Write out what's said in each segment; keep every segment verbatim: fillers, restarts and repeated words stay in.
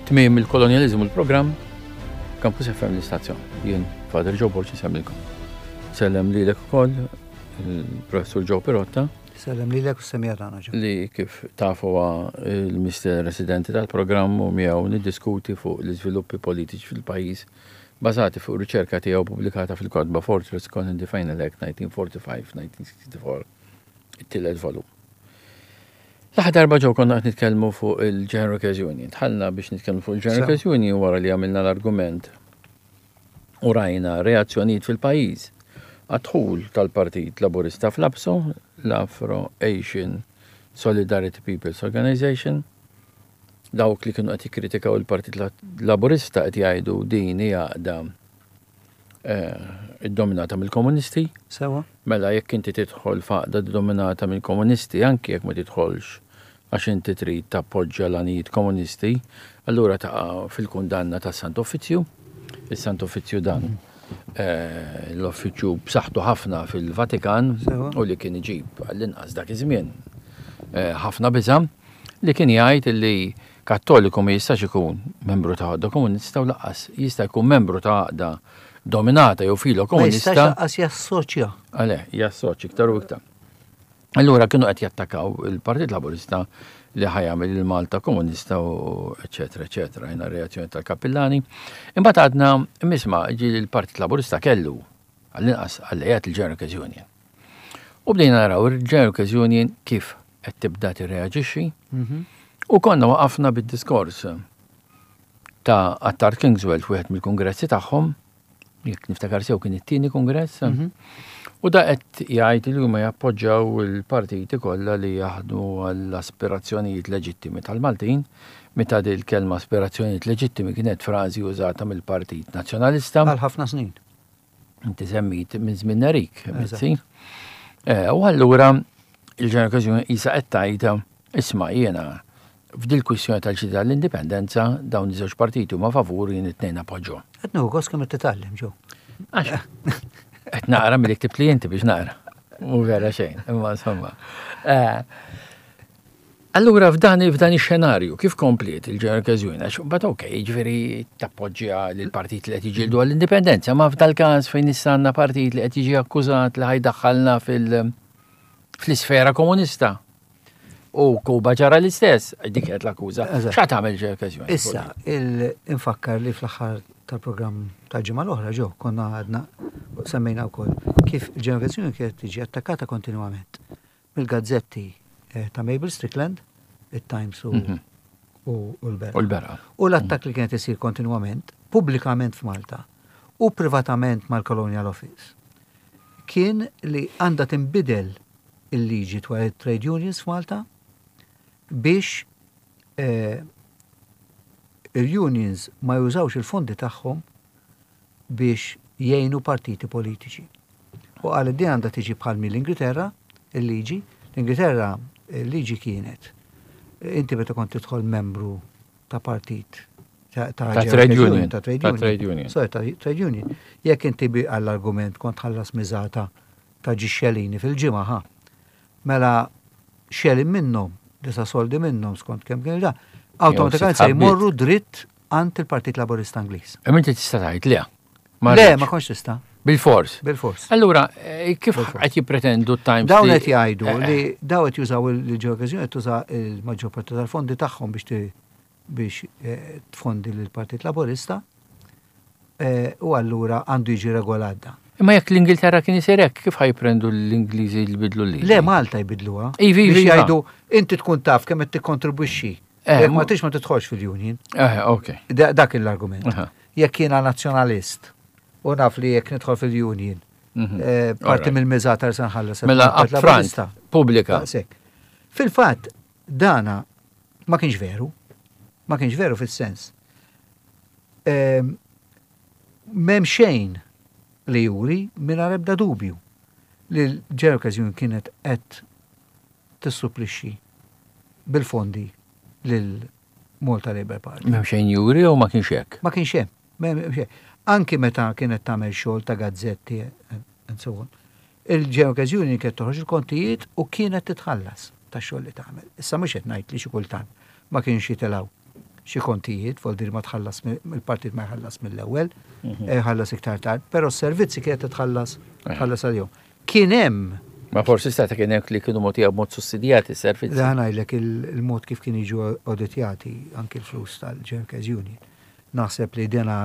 Tmiem il-kolonjaliżmu l-programm, Campus F M l-istazzjon. Jien Father Joe Borg insellmilkom. Sellem lilek ukoll il-Professur Joe Pirotta. Sellem lilek u semija tagħna Joe. Li kif tafu huwa il-mister residenti tal-programm u miegħu niddiskuti fuq l-iżviluppi politiċi fil-pajjiż bażati fuq riċerka tiegħu pubblikata fil-kotba Fortress Colony the Final Act nineteen forty-five nineteen sixty-four, it-tielet volum. L-aħħar darba ġew konna qed nitkellmu fuq il-General Workers Union. Tħallna biex nitkellmu fuq il-General Workers Union wara li għamilna l-argument u rajna reazzjonijiet fil-pajjiż għad-dħul tal-Partit Laburista fl-APSO, l-Afro Asian Solidarity People's Organization. Dawk li kienu qed jikkritikaw il-Partit Laburista qed jgħidu din hija għaqda, eh, iddominata mill-komunisti. Sewa. Mela jekk inti tidħol f'għaqda ddominata mill-komunisti, anki jekk ma tidħolx għax inti trid tappoġġja l-għanijiet komunisti, allura taqa' fil-kundanna tas-Sant Uffiċċju. Is-Sant Uffiċċju dan, eh, l-uffiċċju b'saħħtu ħafna fil-Vatikan Sewa. u li kien iġib għall-inqas dak iż-żmien, eh, ħafna biża' li kien jgħid li Kattoliku ma jistax ikun membru ta' għaqda komunista u lanqas jista' jkun membru ta' għaqda dominata jew filo Ma jistax komunista. lanqas jassoċja. Għale, jassoċja iktar u iktar. Allura kienu qed jattakaw il-Partit Laburista li ħajamel il-Malta Komunista u eċetera, eċetera, jena reazzjoni tal-Kappillani. Imbagħad għadna misma ġi l-Partit Laburista kellu għall-inqas alleat il-General Workers Union. U bdejna naraw il-General Workers Union kif qed tibda tirreaġixxi. Mhm. U konna waqafna bid-diskors ta' Attard Kingswell f'wieħed mill-kongressi tagħhom, jekk niftakar sew kien it-tieni kongress. Mhm. U da qed jgħid li huma jappoġġjaw il-partiti kollha li jaħdmu għall-aspirazzjonijiet leġittimi tal-Maltin, meta din il-kelma aspirazzjonijiet leġittimi kienet frażi użata mill-Partit Nazzjonalista. Għal ħafna snin. Inti semmit minn żmien Nerik, Eżatt. Mizzi. Eh, u allura il-General Workers Union isa qed tgħid, isma' jiena f'dil kwistjoni tal-ġdida l-indipendenza dawn iż-żewġ partiti huma favur jien it-tnejn appoġġhom. Qed nieħu gost kemm qed titgħallem ġew. Għax qed naqra milli ktibt li inti biex naqra. Mhu vera xejn, imma insomma. Eh, allura f'dan, f'dan ix-xenarju kif kompliet il-General Workers Union? Għax mbagħad okej, jiġifieri tappoġġja lil partit li qed jiġġieldu għall-indipendenza, ma f'dal-każ fejn issa għandna partit li qed jiġi akkużat li ħajdaħħalna fil-, fl-isfera komunista. U Kuba ġara l-istess, dik kienet l-akkuża. Eżatt. X'għad tagħmel General Workers Union? Issa, il-infakkar li fl-aħħar tal-programm tal-ġimgħa l-oħra ġew konna għadna semmejna wkoll kif il-General Workers Union kienet tiġi attakkata kontinwament mill-gazzetti, eh, ta' Mabel Strickland, it-Times u Mhm. u, u l-Berqa. U l-Berqa. U l-attakk li kienet isir kontinwament, pubblikament f'Malta u privatament mal-Colonial Office, kien li għandha tinbidel il-liġi dwar il-trade unions f'Malta biex, eh, il-unions ma jużawx il-fondi tagħhom biex jgħinu partiti politiċi. U għal din għandha tiġi bħal mill-Ingilterra, il-liġi. L-Ingilterra, il-liġi kienet, inti meta kont tidħol membru ta' partit, ta' ta' Ta' General trade Union, union. ta' trade Ta' union. trade union. Sorry, ta' trade union. Jekk inti bi għall-argument kont ħallas miżata ta' ġi xelini fil-ġimgħa, ħa. Mela xelin minnhom, disa soldi minnhom skont kemm kien da, awtomatikament se sitt ħabbiet. jmorru dritt għand il-Partit Laburista Ingliż. Imma inti tista' tgħid le. Ma Le, rridx. ma kontx tista'. Bil-fors. Bil-fors. Allura, eh, kif Bil-fors. qed jippretendu t-Times Dawn li qed jgħidu Eh, eh. li dawn qed jużaw il-General Workers Union qed tuża l-maġġor parti tal-fondi tagħhom biex ti-, biex, eh, tfondi lill-Partit Laburista, eh, u allura għandu jiġi regolat da. Imma jekk l-Ingilterra kien isir hekk, kif ħajprendu l-Ingliżi li jbidlu l-liġi? Le, Malta jbidluha. Ivi, ivi, Biex iva. jgħidu, inti tkun taf kemm qed tikkontribwixxi. Eh, Jekk ma mu- tix ma tidħolx fil-union. Eh, ok. Da-, dak l-argument. Aha. Jekk jiena nazzjonalist u naf li jekk nidħol fil-union, Mhm. eh, parti Alright. mill-miżata se nħallas Mela il-Partit upfront, Laburista. pubblika. Daqshekk. Fil-fatt, dana ma kienx veru. Ma kienx veru fis-sens. Ehm, m'hemm xejn li juri mingħajr ebda dubju li l-General Workers Union kienet qed tissupplixxi bil-fondi lil Malta Labour Party. M'hemm xejn juri u ma kienx hekk? Ma kienx hemm. M'hemm xejn. Anki meta kienet tagħmel xogħol ta' gazzetti and so on. Il-General Workers Union kienet toħroġ il-kontijiet u kienet titħallas ta' xogħol li tagħmel. Issa mhux qed ngħid li xi kultant ma kienx jitilgħu xi kontijiet, vuol ma tħallas mill-partit, ma jħallas mill-ewwel, mhm. eh, ħallas iktar tard, però s-servizzi kienet tħallas eh. tħallas għalihom. Kien hemm Ma forsi stata kien hemm li kienu mogħtija b'mod sussidjati s-servizzi. Da ngħidlek, il-mod kif kien jiġu auditjati anki l-flus tal-Workers Union. Naħseb li dena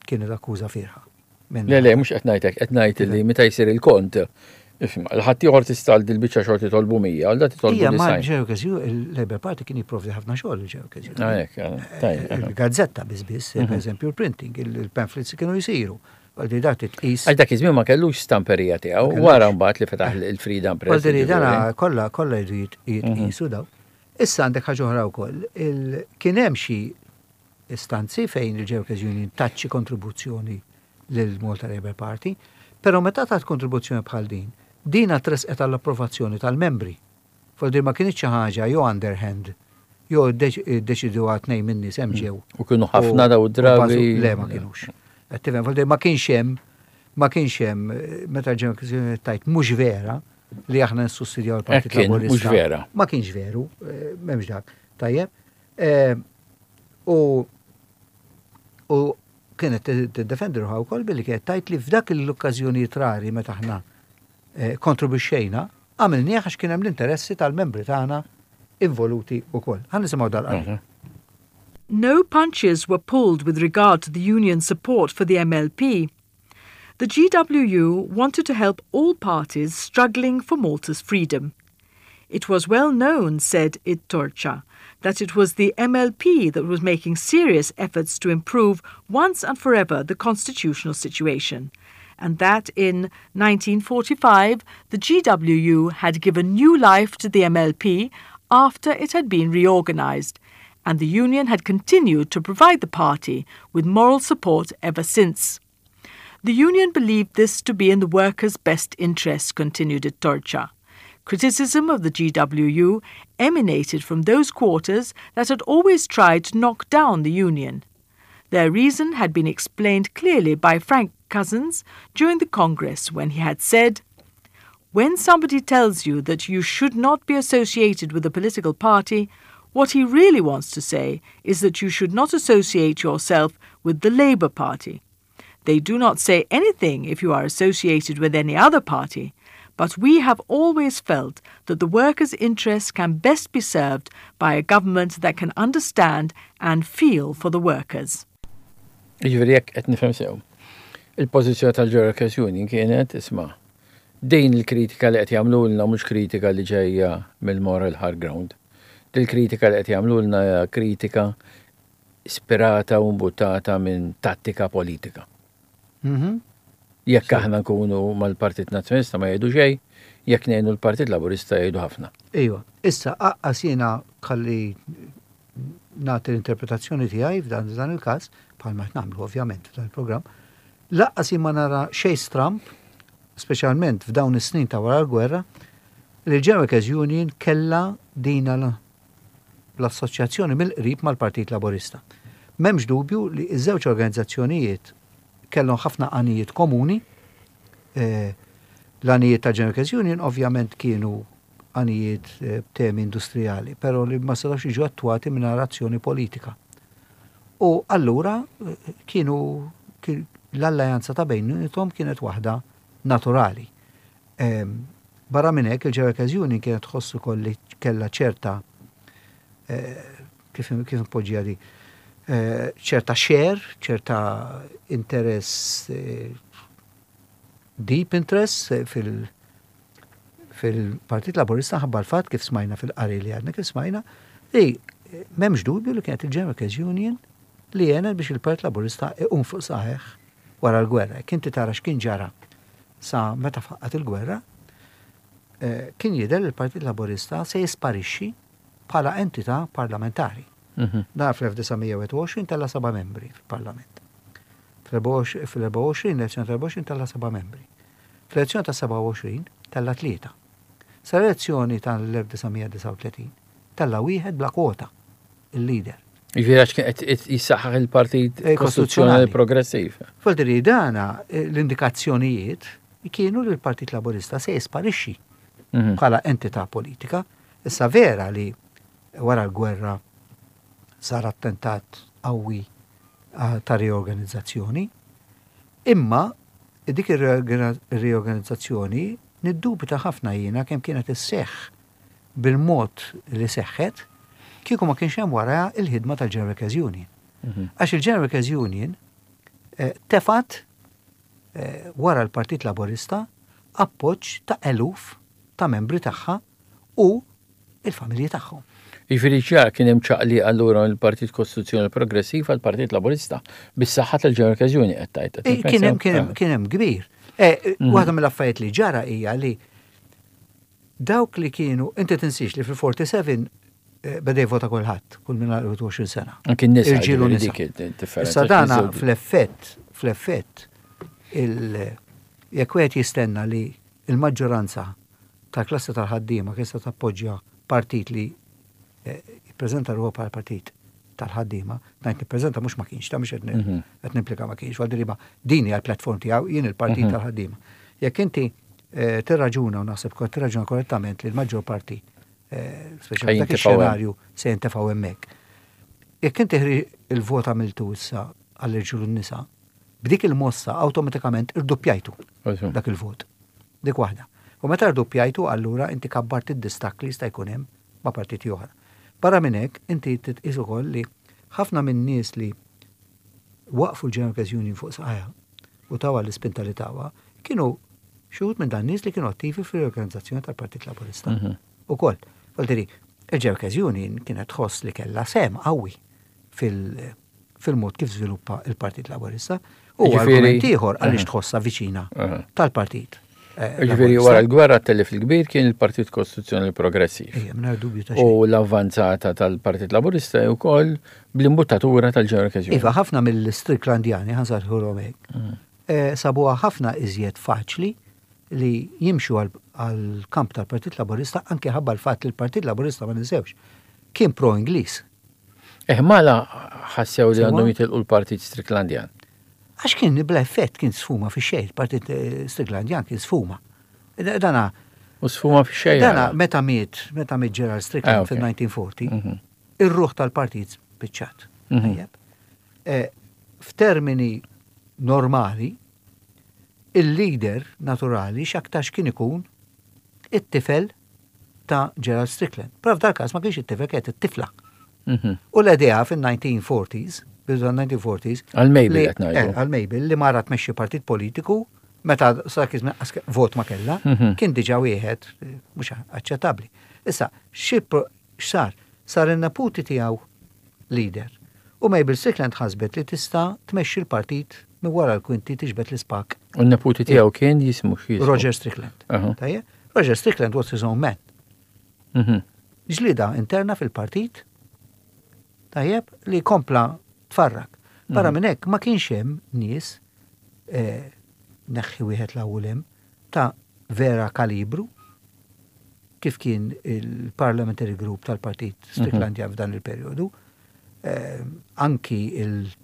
kienet akkuża fiergħa. Le, le, mhux qed ngħidlek, qed ngħid li meta jsir il-kont, l-ħadd ieħor tista' dil-biċċa xogħol titolbu mija, għal da titolbu Ija, ma Workers il-Labour Party kien jipprovdi ħafna xogħol il-Workers Union. Ah, Il-gazzetta biss biss, per mhm. eżempju, il-printing, il-pamphlets kienu jisiru. Għaldi dak titqis. Għal dak iż-żmien ma kellux stamperija tiegħu, wara mbagħad li fetaħ il-Freedom Press. Għaldi dana kollha kollha jridu jitqisu daw. Issa għandek ħaġa oħra wkoll. Kien hemm xi istanzi fejn il-Workers Union tat xi kontribuzzjoni lil Malta Labour Party, però meta tat kontribuzzjoni bħal din, dina tresqet għall-approvazzjoni tal-membri. Vuol ma kienx xi ħaġa jew underhand, jew deċidu għal tnejn minn nies hemm ġew. U kienu ħafna daw drabi. Le, ma kienux. Tifhem, vuol ma kienx hemm ma kienx hemm meta ġew tajt mhux vera li aħna nissussidjaw il-Partit Laburista. Mhux vera. Ma kienx veru, eh, m'hemmx dak. Tajjeb. Eh, u u kienet tiddefendi ruħha wkoll billi kienet tajt li f'dak l-okkażjonijiet rari meta aħna eh, kontribwixxejna, għamilnieh għax kien hemm l-interessi tal-membri tagħna involuti wkoll. Ħa nisimgħu dal. Mhm. No punches were pulled with regard to the union's support for the M L P. The G W U wanted to help all parties struggling for Malta's freedom. It was well known, said It-Torċa, that it was the M L P that was making serious efforts to improve once and forever the constitutional situation, and that in nineteen forty-five the G W U had given new life to the M L P after it had been reorganized, and the union had continued to provide the party with moral support ever since. The union believed this to be in the workers' best interest, continued It-Torċa. Criticism of the G W U emanated from those quarters that had always tried to knock down the union. Their reason had been explained clearly by Frank Cousins during the Congress when he had said, "When somebody tells you that you should not be associated with a political party, what he really wants to say is that you should not associate yourself with the Labour Party. They do not say anything if you are associated with any other party, but we have always felt that the workers' interests can best be served by a government that can understand and feel for the workers." Jiġifieri jekk qed nifhem sew, il-pożizzjoni tal-Workers Union kienet, isma', din il-kritika li qed jagħmlulna mhux kritika li ġejja mill-moral high ground. Dil-kritika li qed jagħmlulna hija kritika ispirata u mbuttata minn tattika politika. Mhm. Jekk aħna nkunu mal-Partit Nazzjonalista ma jgħidu xejn, jekk ngħinu l-Partit Laburista jgħidu ħafna. Iva, issa aqqas jiena kalli nagħti l-interpretazzjoni tiegħi f'dan dan il-każ, bħalma qed nagħmlu ovvjament f'dan il-programm, lanqas jien ma nara xejn stramp, speċjalment f'dawn is-snin ta' wara l-gwerra, li l-General Workers Union kella dina l-assoċjazzjoni mill-qrib mal-Partit Laburista. M'hemmx dubju li ż-żewġ organizzazzjonijiet kellhom ħafna għanijiet komuni. Eh, L-għanijiet ta' General Workers Union ovvjament kienu għanijiet eh, temi industrijali, però li ma setgħux jiġu attwati minn azzjoni politika. U allura eh, kienu kien- l-alleanza ta' bejniethom kienet waħda naturali. Em, Barra minn hekk, il-General Workers Union kienet tħossu kolli kellha ċerta eh, kif kif npoġġiha di, eh, ċerta share, ċerta interess, eh, deep interest eh, fil- fil-Partit Laburista ħabba l-fatt kif smajna fil-qari li għadna kif smajna li eh, m'hemmx dubju li kienet il-General Workers Union li għenet biex il-Partit Laburista iqum fuq saqajh wara l-gwerra. Kien tara x'kien ġara sa meta faqqat il-gwerra, eh, kien jidher li l-Partit Laburista se jisparixxi bħala entità parlamentari. Mhm. Dar fl-elf disa' mija u wieħed u għoxrin tella seba' membri fil-Parlament. Fl-erbgħa u għoxrin, l-elezzjoni tal-erbgħa u għoxrin tella seba' membri. Fl-elezzjoni ta' sebgħa u għoxrin tella tlieta. Sa elezzjoni tal-elf disa' mija disgħa u tletin tella wieħed bla kwota, il-leader. Jiġifieri għax kien qed jissaħħaħ il-Partit Eh, Kostituzzjonali Kostituzzjonali. Progressiv. Vuol dana eh, l-indikazzjonijiet kienu li l-Partit Laburista se jisparixxi Mhm. bħala entità politika. Issa vera li wara l-gwerra Sar attentat qawwi ah, ta' riorganizzazzjoni, imma dik ir-riorganizzazzjoni niddubita ħafna jiena kemm kienet isseħħ bil-mod li seħħet kieku ma kienx hemm wara il-ħidma tal-General Workers Union. Mhm. Għax il-General Workers Union eh, tefat eh, wara l-Partit Laborista appoġġ ta' eluf ta' membri tagħha u il-familji tagħhom. Jiġifieri ċar kien hemm ċaqli allura mill-Partit Kostituzzjonali Progressiv għal Partit Laburista bis-saħħa tal-General Workers Union qed tgħid. Eh, Kien hemm kien hemm kien hemm kbir. Eh, Mhm. Waħda mill-affarijiet li ġara hija li dawk li kienu, inti tinsiex li fil-erbgħa u erbgħin eh, beda jvota kulħadd, kull minn għal wieħed u għoxrin sena. Anki n-nisa Irġiel u ġifieri nisa. dik id-differenza. Issa dana fl-effett, fl-effett, il- jekk wieħed jistenna li il-maġġoranza tal-klassi tal-ħaddiema kien se tappoġġja partit li eh, jippreżenta ruħu bħala partit tal-ħaddiema, ngħid nippreżenta mhux ma kienx, ta' mhux qed Mhm. qed nimplika ma kienx, għal ma din hija l-platform tiegħu, jien il-partit Mhm. tal-ħaddiema. Jekk inti eh, tirraġuna u naħseb kont tirraġuna korrettament li l-maġġor parti, eh, speċjalment dak Ħa jintefgħu hemm. ix-xenarju se jintefgħu hemmhekk. Jekk inti ħri il-vot għamiltu issa għall-irġiel u n-nisa, b'dik il-mossa awtomatikament irdoppjajtu dak il-vot. Dik waħda. U meta rdoppjajtu allura inti kabbart id-distakk li jista' jkun hemm ma' partiti oħra. Barra minn hekk inti titqis ukoll li ħafna minn nies li waqfu l-General Workers Union fuq saqajha u tawa l-ispinta li tawa, kienu xi wħud minn dan nies li kienu attivi fil-organizzazzjoni tal-Partit Laburista. Mhm. Ukoll, Voldiri, il-General Workers Union kienet tħoss li kellha sehem qawwi fil- fil-mod kif żviluppa il-Partit Laburista. U Jiġifieri- argument ieħor għaliex Aha. tħossha viċina Aha. tal-partit. eh, Ġifieri Laburista. wara l-gwerra telli fil-kbir kien il-Partit Kostituzzjonali Progressiv. Ejja, mingħajr dubju ta' xejn. U l-avvanzata tal-Partit Laburista wkoll bl-imbuttatura tal-General Workers Union. Iva, ħafna mill-Stricklandjani, ħa nsejħulhom hekk, Mm. eh, sabuha ħafna iżjed faċli li jimxu għal-kamp tal-Partit Laburista anke ħabba l-fatt li l-Partit Laburista, ma ninsewx, kien pro-Ingliż. Eh, mala ħassew li Sewa? għandhom jitilqu l-Partit Stricklandjan. Għax kien bla effett, kien sfuma fi xejn, il-Partit eh, Stricklandjan kien sfuma. Dana, U sfuma fi xejn. dana meta miet, meta miet Gerald Ah, Strickland ok. fil-elf disa' mija u erbgħa u erbgħin, Mhm. ir-ruħ tal-partit spiċċat. Mhm. Tajjeb. Eh, F'termini normali, il-leader naturali x'aktarx kien ikun it-tifel ta' Gerald Strickland. Però f'dal każ ma kienx it-tifel, kienet it-tifla. Mhm. U l-idea fin-nineteen forties, bidu nineteen forties, Għal Mabel li- qed ngħidu. eh, Għal Mabel li mara tmexxi partit politiku meta sa kizmi vot ma kella, Mhm. kien diġà wieħed eh, mhux aċċettabbli. Issa, xi pro- x'sar? Sar in-neputi tiegħu leader. U Mabel Strickland ħasbet li tista' tmexxi l-partit minn wara l-kwinti, tiġbed l-ispak. U n-neputi tiegħu kien jismu x'jismu? Roger Strickland. Aha. Tajjeb? Roger Strickland was his own man. Mhm. Ġlida interna fil-partit, tajjeb, li kompla tfarrak. Barra Mhm. minn hekk ma kienx hemm nies, eh, neħħi wieħed l hemm ta' vera kalibru kif kien il-Parliamentary Group tal-Partit Stricklandjan f'dan il-perjodu. Eh, anki il-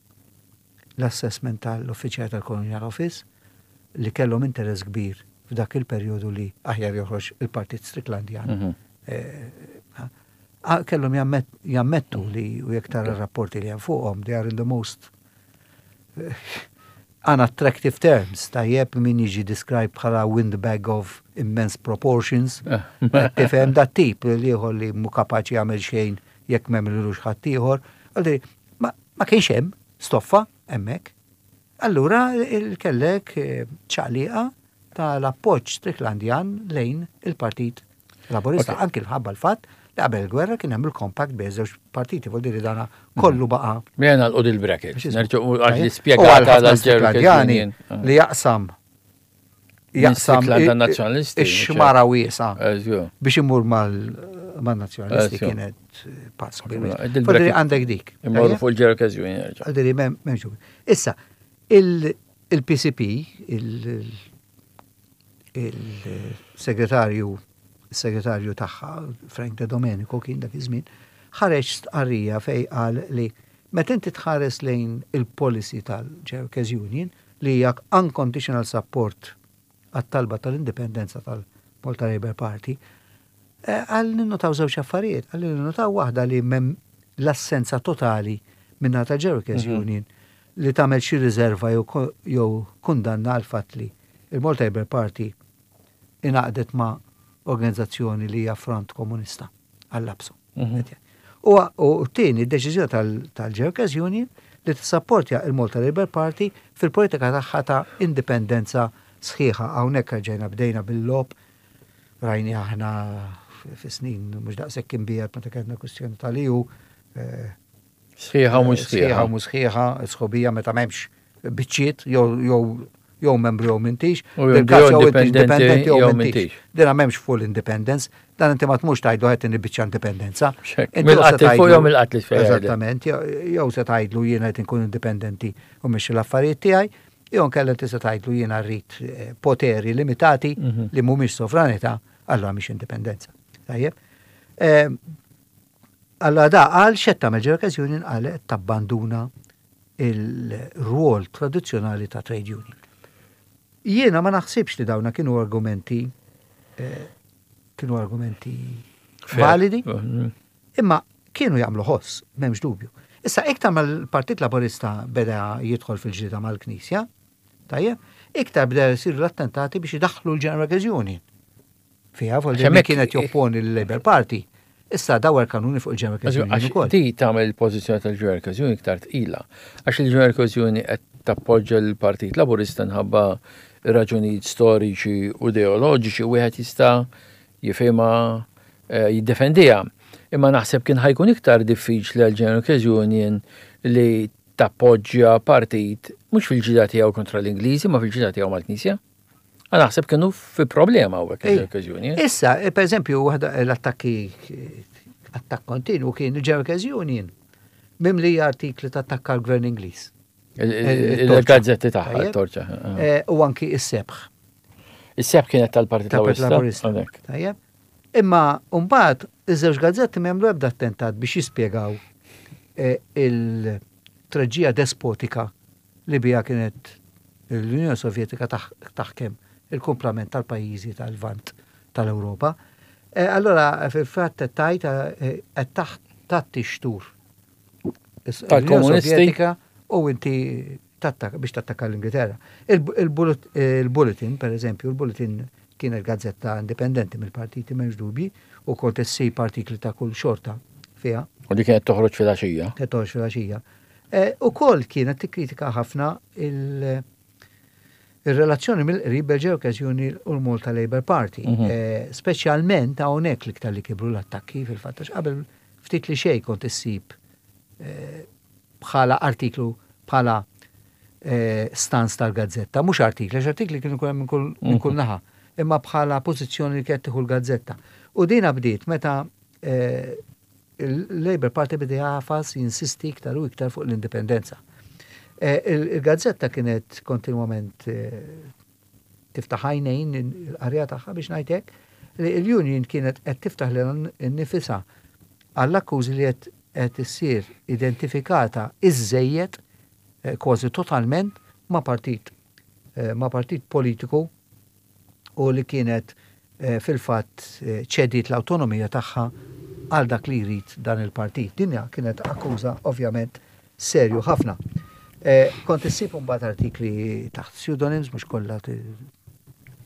l-assessment tal-uffiċjal tal-Colonial Office li kellhom interess kbir f'dak il-perjodu li aħjar joħroġ il-Partit Stricklandjan. Mhm. Eh, ah, kellhom jammet- jammettu li, u jekk tara rapporti li hemm fuqhom, they are in the most eh, unattractive terms, tajjeb, min jiġi described bħala windbag of immense proportions. Eh. Tifhem, dat tip li ieħor li mhu kapaċi jagħmel xejn jekk m'għamilux ħadd ieħor. Għaldi, Ma ma kienx hemm stoffa hemmhekk. Allura il kellek eh, ċaqliqa tal-appoġġ Stricklandjan lejn il-Partit Laburista, Ok. anki l-ħabba l-fatt li qabel il-gwerra kien hemm il-compact bejn żewġ partiti, vuol dire dana kollu baqa' Mela nagħlqu dil-bracket. Biex ismu. Nerġgħu għax li U għal spjegata ħafna għal Stricklandjani li jaqsam jaqsam Strickland i- nazzjonalisti, ix-xmara wiesgħa Eżju. biex imur mal-nazzjonalisti Eżju. kienet eh, pass kbir. Mela, Vuol dire dil-bracket- għandek dik. Immorru Tajjeb? fuq il-General Workers Union nerġa'. Għaldiri, mem, memx dubju. Issa, il- il-P C P, il- il-segretarju il-segretarju tagħha, Frank De Domenico kien dak iż-żmien, ħareġ stqarrija fej qal li meta inti tħares lejn il-policy tal-General Workers Union li hija unconditional support għat-talba tal-indipendenza tal-Malta Labour Party, eh, għal ninnotaw żewġ affarijiet, għal ninnotaw waħda li mem l-assenza totali minna ta' Workers mhm. Union li tagħmel xi riserva jew kundanna għal fatt li il-Malta Labour Party ingħaqdet ma' organizzazzjoni li hija front komunista għall-lapsu. Mhm. U t-tieni deċiżjoni tal-Workers Union li tissapportja il-Malta Labour Party fil-politika tagħha ta' indipendenza sħiħa. Hawnhekk ġejna bdejna bil-logħob, rajni aħna fi snin mhux daqshekk imbiegħed meta kellna kwistjoni tal-E U. Eh, sħiħa u mhux sħiħa. Sħiħa u mhux sħiħa, sħubija meta m'hemmx biċċiet jew jew membru jew m'intix. Jew indipendenti jew m'intix. Dina m'hemmx full independence, dan inti ma tmux tgħidlu qed biċċa indipendenza. Mill-qatt fuq jew mill-qatt li. Eżattament, jew se tgħidlu jiena qed inkun indipendenti u mhix l-affarijiet tiegħi, jew nkella inti se tgħidlu jiena rrid eh, poteri limitati mhm. li mhumiex sovranità, allura mhix indipendenza. Tajjeb. Eh, allora da għal xetta mill Union għal tabbanduna il-rwol tradizzjonali ta' trade union. Jiena ma naħsibx li dawna kienu argumenti eh, kienu argumenti validi, mm. imma kienu jagħmlu ħoss, m'hemmx dubju. Issa iktar mal-Partit Laburista beda jidħol fil-ġlieda mal-Knisja, tajjeb, iktar beda jsiru l-attentati biex idaħħlu l-General Workers Union. Fiha, fuq kienet jopponi l-Labour Party. Issa dawar kanuni fuq il-General Workers Union ukoll. Di tagħmel il-pożizzjoni tal-General Workers Union iktar tqila. Għax il-General Workers Union qed tappoġġa l-Partit Laburista nħabba raġunijiet storiċi u ideoloġiċi, wieħed jista' jifhimha, eh, jiddefendiha. Imma naħseb kien ħa jkun iktar diffiċli għal General Workers Union li tappoġġja partit mhux fil-ġlieda tiegħu kontra l-Ingliżi, ma fil-ġlieda tiegħu mal-Knisja. Għax naħseb kienu fi problema u l-okkażjoni. Issa, eh, per eżempju, waħda l-attakki, attakk kontinu kien il-General Workers Union mimli artikli ta' attakka l-gvern Ingliż. Il-gazzetti tagħha, it-Torċa. Eh, u anki is-Sebħ. Is-Sebħ kienet tal-Partit Laburista. Tajjeb. Imma mbagħad iż-żewġ gazzetti m'għamlu ebda attentat biex jispjegaw eh, il-treġija despotika li bija kienet l-Unjoni Sovjetika taħkem il-kumplament tal-pajjiżi tal-Lvant tal-Ewropa. Eh, allora, fil-fatt tajt qed taħt xtur. Tal-komunisti u inti biex tattakka l-Ingilterra. Il-Bulletin, per eżempju, il-Bulletin kienet gazzetta indipendenti mill-partiti, m'hemmx dubji, u kont issib artikli ta' kull xorta fiha. U li kienet toħroġ fil-għaxija. Kienet toħroġ fil-għaxija. E, u kol kienet tikkritika ħafna il- il-relazzjoni mill-qrib bil Union u l-Malta Labour Party. Mhm. E, speċjalment hawnhekk l-iktar li kibru l-attakki fil-fatt, qabel ftit li xejn kont issib e, bħala artiklu, bħala eh, stance tal-gazzetta, mhux artikli, għax artikli kienu kull minn kull minn kull mhm. naħa, imma bħala pożizzjoni li kienet tieħu l-gazzetta. U dina bdiet meta eh, il-Labour Party beda jagħfas, jinsisti iktar u iktar fuq l-indipendenza. Eh, il-gazzetta kienet kontinwament tiftaħ għajnejn il-qarrejja tagħha, biex ngħidlek, li l-Union kienet qed tiftaħ lilha nnifisha għall-akkużi li qed issir identifikata iżżejjed, eh, kważi totalment ma' partit eh, ma' partit politiku u li kienet eh, fil-fatt ċediet l-autonomija tagħha għal dak li jrid dan il-partit. Dinja kienet akkuża ovvjament serju ħafna. Kont issib mbagħad artikli taħt pseudonyms, mhux kollha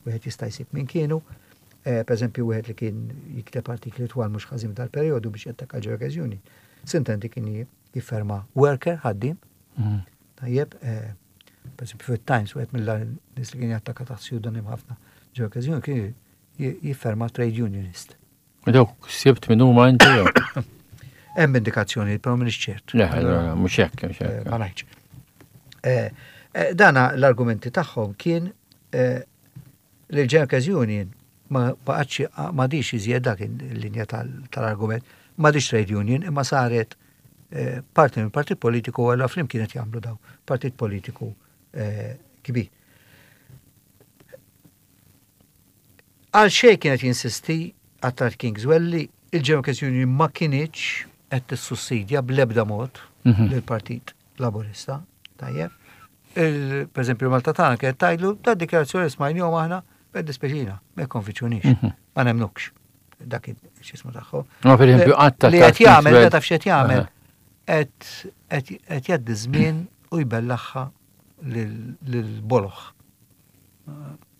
wieħed jista' jsib min kienu. Per eżempju, wieħed li kien jikteb artikli twal mhux ħażin dal-perjodu biex jattakka l Union. Sintendi kien jifferma worker, ħaddim. Mhm. Tajjeb, eh, per eżempju fit-Times, wieħed mill-nies li kien jattakka taħt pseudonym ħafna Workers kien jifferma trade unionist. Dawk sibt minn huma inti? Hemm indikazzjoni, però m'iniex ċert. Le, mhux hekk, mhux hekk. Eh, ma ngħidx. Eh, dana l-argumenti tagħhom kien li l-Workers Union ma baqgħetx, m'għadhiex iżjed, dak il-linja tal-argument, m'għadhiex trade union imma saret eh, parti minn partit politiku, għalla flimkien qed jagħmlu daw partit politiku eh, kbir. Għal xejn kienet jinsisti Attard Kingswell li il-Workers Union ma kinitx qed tissussidja bl-ebda mod mhm. lill-Partit Laburista. Tajjeb. Per eżempju, Malta Tagħna kienet tgħidlu ta' dikjarazzjoni smajnihom aħna, jiddispjaċina, ma jikkonvinċunix, mhm. ma nemnukx. Dak x'ismu tagħhom. Ma per eżempju, għatta li qed jagħmel, taf x'qed jagħmel. qed jgħaddi żmien u jbellaħħa lil-boloħ.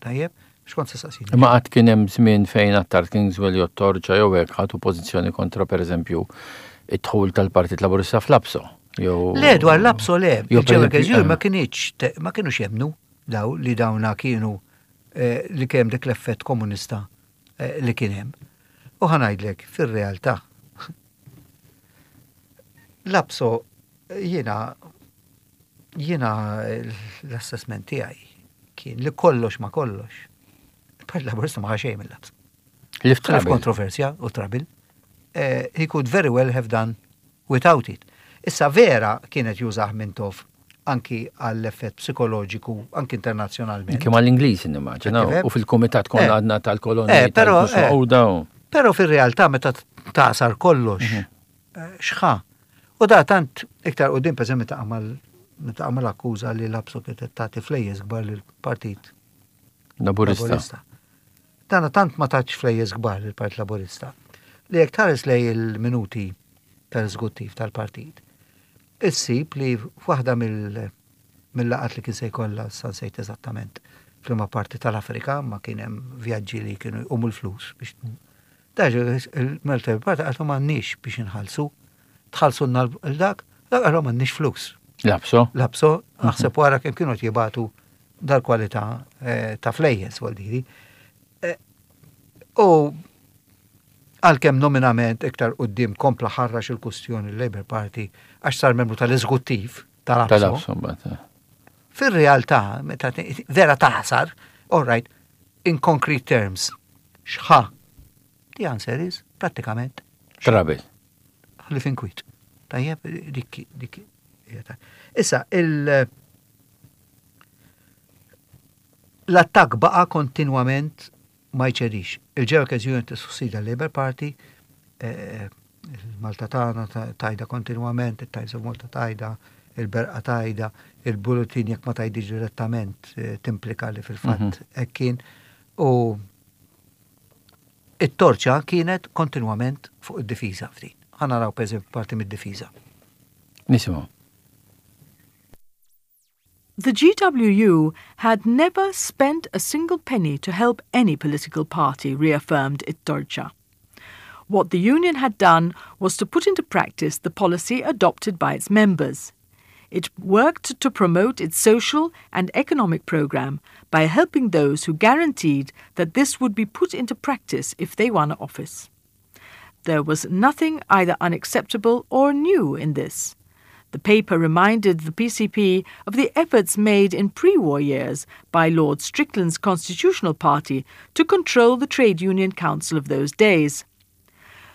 Tajjeb, x'kont se saqsini? Ma qatt kien hemm żmien fejn Attard Kingswell jew Torċa jew hekk ħadu pożizzjoni kontra, pereżempju, id-dħul tal-Partit Laburista fl-APSO. Le, dwar l-APSO le. Il-Ġew ma kienx ma kienux jemmnu daw li dawna kienu eh, li kemm dik l-effett komunista eh, li kien hemm. U ħa ngħidlek, fir-realtà, l-APSO jiena jiena l-assessment tiegħi kien li kollox ma kollox. Il-Partit Laburista ma xejn mill-APSO. Li kontroversja u trouble. Eh, he could very well have done without it. Issa vera kienet jużah Mintoff anki għall-effett psikoloġiku, anki internazzjonalment. Kemm għall-Ingliż nimmaġina, u fil-kumitat konna eh. għadna tal-kolonni. Eh, però però fil-realtà meta tasar kollox, mhm. xħa. U da tant iktar u din, per meta għamal meta għamal akkuża li l-APSO kienet tagħti flejjes kbar lill-Partit Laburista. Dana tant ma tatx flejjes kbar lill-Partit Laburista li jekk tħares lej il-minuti tal-eżekuttiv tal-partit, issib li f'waħda mill-laqgħat li kien se jkollha, sa nsejt eżattament f'liema parti tal-Afrika, ma kien hemm vjaġġi li kienu jqumu l-flus biex Daġu il-Malta Party għalhom m'għandniex biex inħallsu. Tħallsu l-dak, dak għalhom m'għandniex flus. L-APSO? L-APSO, naħseb wara kemm kienu jibatu dal-kwalità eh, ta' flejjes, għaldiri. Eh, u għalkemm nominament iktar quddiem kompla ħarrax il-kustjoni l-Labour Party għax sar membru tal-eżekuttiv tal-APSO. Tal-APSO, eh. Fil-realtà, meta vera taħsar, all right, in concrete terms, xħa? The answer is, prattikament. Trouble. Ħlief inkwiet. Tajjeb, dik, dik. Issa, il- l-attak baqa kontinwament ma jċedix. Il-Ġew Union tissussida l-Labour Party, eh, il-Malta tagħna tajda kontinwament, il-Times of Malta tajda, il-Berqa tajda, il-Bulletin jekk ma tajdix direttament eh, timplika li fil-fatt mhm. hekk kien. U it-Torċa kienet kontinwament fuq id-difiża ftit. Ħa naraw, per parti mid-difiża. Nisimgħu. The G W U had never spent a single penny to help any political party, reaffirmed It-Torċa. What the union had done was to put into practice the policy adopted by its members. It worked to promote its social and economic program by helping those who guaranteed that this would be put into practice if they won office. There was nothing either unacceptable or new in this. The paper reminded the P C P of the efforts made in pre war years by Lord Strickland's Constitutional Party to control the Trade Union Council of those days.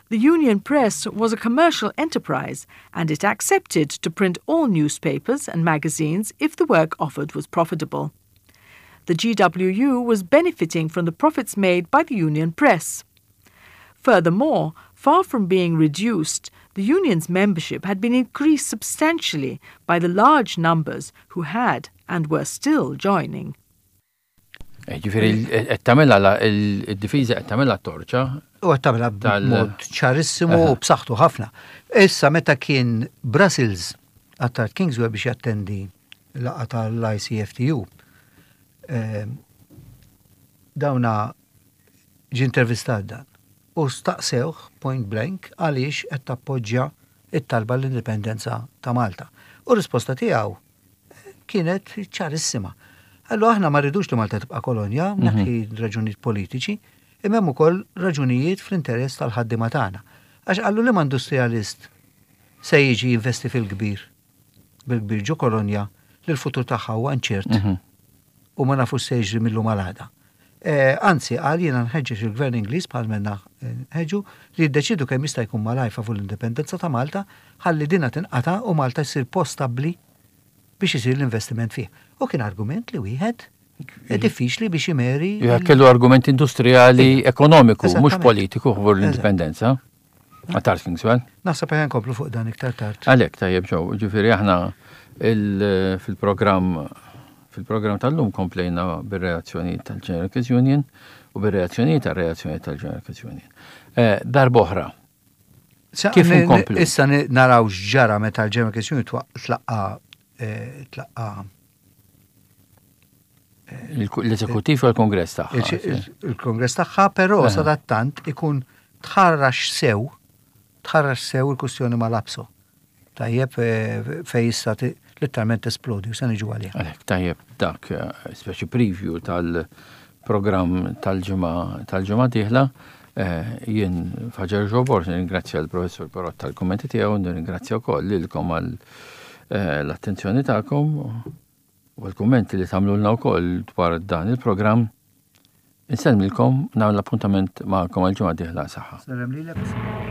The Union Press was a commercial enterprise, and it accepted to print all newspapers and magazines if the work offered was profitable. The G W U was benefiting from the profits made by the Union Press. Furthermore, far from being reduced, the union's membership had been increased substantially by the large numbers who had and were still joining. Eh, ġifieri, qed tagħmilha il-difiża, qed tagħmilha Torċa. U qed tagħmilha b'mod ċarissimu u b'saħħtu ħafna. Issa meta kien Brussels Attard Kingswell biex jattendi laqgħa tal-I C F T U, eh, dawna ġi intervistat dan u staqsewh point blank għaliex qed tappoġġja it-talba l-indipendenza ta' Malta. U risposta tiegħu kienet ċarissima. Allora aħna ma rridux li Malta tibqa' kolonja, mhm. neħħi raġunijiet politiċi, imma hemm ukoll raġunijiet fl-interess tal-ħaddiema tagħna. Għax qallu li industrialist se jiġi jinvesti fil-kbir, bil-kbir ġo kolonja li l-futur tagħha huwa inċert mhm. u ma nafux se jiġri mill-lum għal għada. Eh, anzi, qal, jiena nħeġġeġ il-gvern Ingliż, bħal menna ħeġġu, li jiddeċidu kemm jista' jkun malaj favur l-indipendenza ta' Malta ħalli dina tinqata' u Malta jsir post stabbli biex isir l-investiment fih. U kien argument li wieħed diffiċli biex imeri. Kellu argument industrijali, ekonomiku, mhux politiku favur l-indipendenza. Attard Kingswell. Naħseb ħa nkomplu fuq dan iktar tard. Għalek, tajjeb ġew, ġifieri aħna fil-programm fil-programm tal-lum komplejna bir-reazzjoni tal-General Workers Union u bir-reazzjoni tal-reazzjoni tal-General Workers Union. Eh, darb'oħra, Kif inkomplu? Issa naraw x'ġara meta l-General Christian tlaqqa eh, tlaqqa l-eżekutiv u l-kongress tagħha. Il-kongress tagħha, però sadattant ikun tħarrax sew, tħarrax sew il-kwistjoni mal-APSO. Tajjeb, eh, fej issa letteralment esplodi u se niġu għalih. Għalhekk tajjeb, dak eh, speċi preview tal-programm tal-ġimgħa tal-ġimgħa dieħla. Eh, jien Faġer Ġobor, nirringrazzja l-professor Perott tal-kommenti tiegħu, nirringrazzja wkoll lilkom għal l-attenzjoni tagħkom u l-kummenti li tagħmlulna wkoll dwar dan il-programm. Insellmilkom, nagħmel appuntament magħkom għal ġimgħa dieħla, saħħa. Sellem lilek.